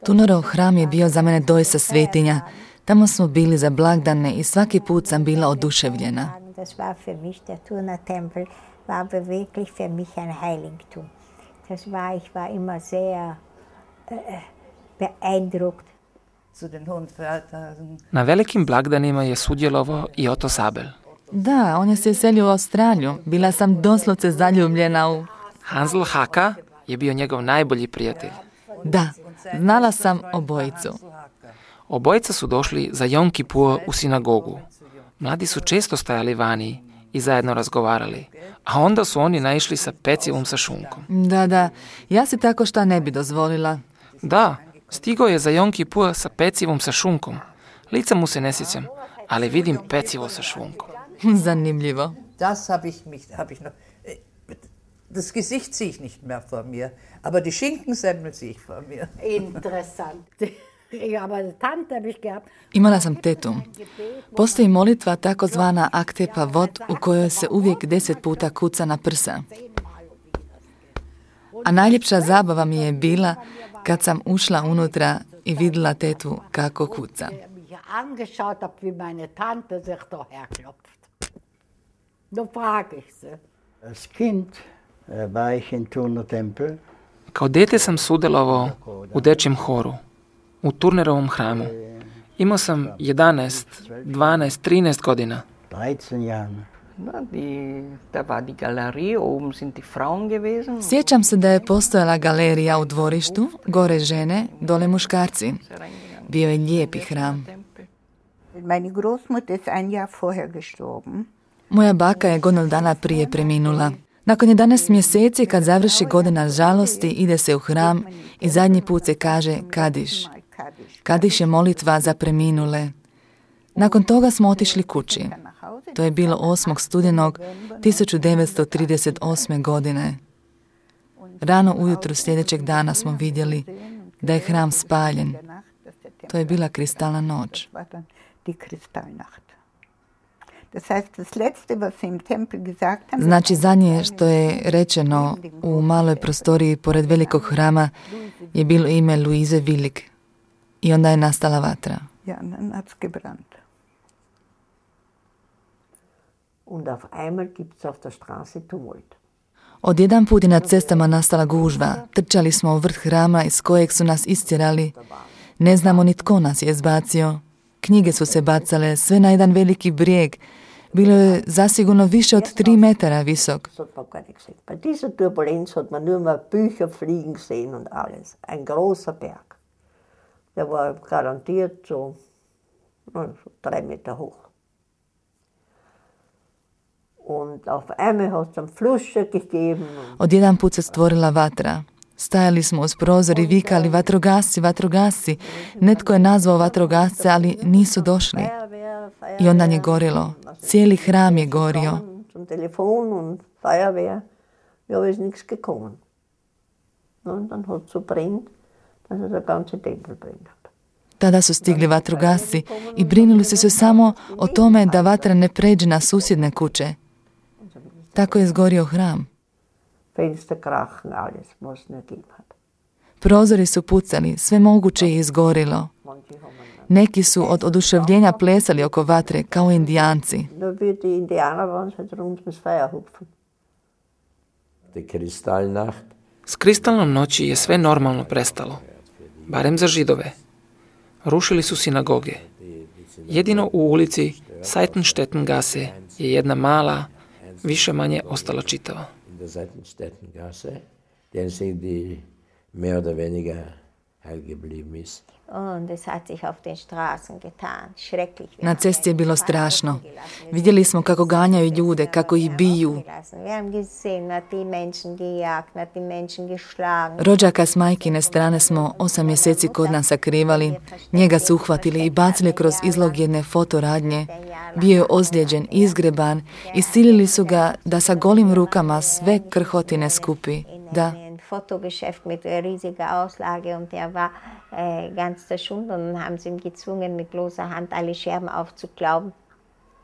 Turnerov hram je bio za mene doista svetinja. Tamo smo bili za blagdane i svaki put sam bila oduševljena. Na velikim blagdanima je sudjelovao i Otto Sabel. Da, on je se selio u Australiju. Bila sam doslovce zaljubljena u... Hansl Haka je bio njegov najbolji prijatelj. Da, znala sam obojicu. Obojica su došli za Jom Kipur u sinagogu. Mladi su često stajali vani i zajedno razgovarali, a onda su oni naišli sa pecivom sa šunkom. Da, ja si tako šta ne bi dozvolila. Da, stigao je za Jom Kipur sa pecivom sa šunkom. Lica mu se ne sjećam, ali vidim pecivo sa šunkom. Zanimljivo. Das hab ich noch. Das Gesicht sehe ich nicht mehr vor mir, aber die Schinkensemmel sehe ich vor mir. Interessant. Imala sam tetu. Postoji molitva takozvana Akte Pavot u kojoj se uvijek 10 puta kuca na prsa. A najljepša zabava mi je bila kad sam ušla unutra i vidjela tetu kako kuca. Als Kind war ich in Turner Tempel. Kao dete sam sudjelovao u dečjem horu, u Turnerovom hramu. Imao sam 11, 12, 13 godina. 13 Jahre. Da war die Galerie, oben sind die Frauen gewesen. Sjećam se da je postojala galerija u dvorištu, gore žene, dole muškarci. Bio je lijepi hram. Meine Großmutter ist ein Jahr vorher gestorben. Moja baka je godinu dana prije preminula. Nakon 11 mjeseci, kad završi godina žalosti, ide se u hram i zadnji put se kaže Kadiš. Kadiš je molitva za preminule. Nakon toga smo otišli kući. To je bilo 8. studenog 1938. godine. Rano ujutro sljedećeg dana smo vidjeli da je hram spaljen. To je bila kristalna noć. Znači, zadnje što je rečeno u maloj prostoriji pored velikog hrama je bilo ime Luise Willig. I onda je nastala vatra. Odjedan put je na cestama nastala gužva. Trčali smo u vrh hrama iz kojeg su nas istjerali. Ne znamo ni tko nas je izbacio. Knjige su se bacale, sve na jedan veliki brijeg. Bilo je zasigurno više od 3 metara visok. Bei dieser Turbulenz hat man nur mal Bücher fliegen sehen und alles. Ein großer Berg. Der war garantiert so 3 Meter hoch. Und auf einmal hat es einen Flusche gegeben. Odjedan put se stvorila vatra. Stajali smo uz prozor i vikali vatrogasci, vatrogasci. Netko je nazvao vatrogasce, ali nisu došli. I onda je gorilo. Cijeli hram je gorio. Zum Telefon und Feuerwehr. Ja, ist nichts gekommen. Und dann hat es so brennt, dass der ganze Tempel brennt. Tada su stigli vatrogasci i brinuli su se samo o tome da vatra ne pređe na susjedne kuće. Tako je izgorio hram. Fenster krachen, alles, was es nicht gegeben hat. Prozori su pucali, sve moguće je izgorilo. Neki su od oduševljenja plesali oko vatre kao Indijanci. Da bi die Indianer waren halt rund ums Feuer hupfen. Die Kristallnacht. S kristalnom noći je sve normalno prestalo, barem za Židove. Rušili su sinagoge. Jedino u ulici Seitenstedtengasse je jedna mala, više manje ostala čitava. In der Seitenstedtengasse, den sind die mehr oder weniger heil geblieben ist. Und es hat sich auf den Straßen getan. Schrecklich. Na cesti je bilo strašno. Vidjeli smo kako ganjaju ljude, kako ih biju. Rođaka s majkine strane smo 8 mjeseci kod nas sakrivali. Njega su uhvatili i bacili kroz izlog jedne fotoradnje. Bio je ozlijeđen, izgreban i silili su ga da sa golim rukama sve krhotine skupi. Da. Fotogeschäft mit riesiger Auslage und der war ganz zerschunden und haben sie ihm gezwungen, mit bloßer Hand alle Scherben aufzuklauben.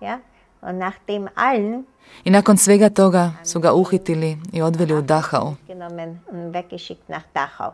Ja? Und nach dem allen I nakon svega toga su ga uhitili i odveli u Dachau. Genommen und weggeschickt nach Dachau.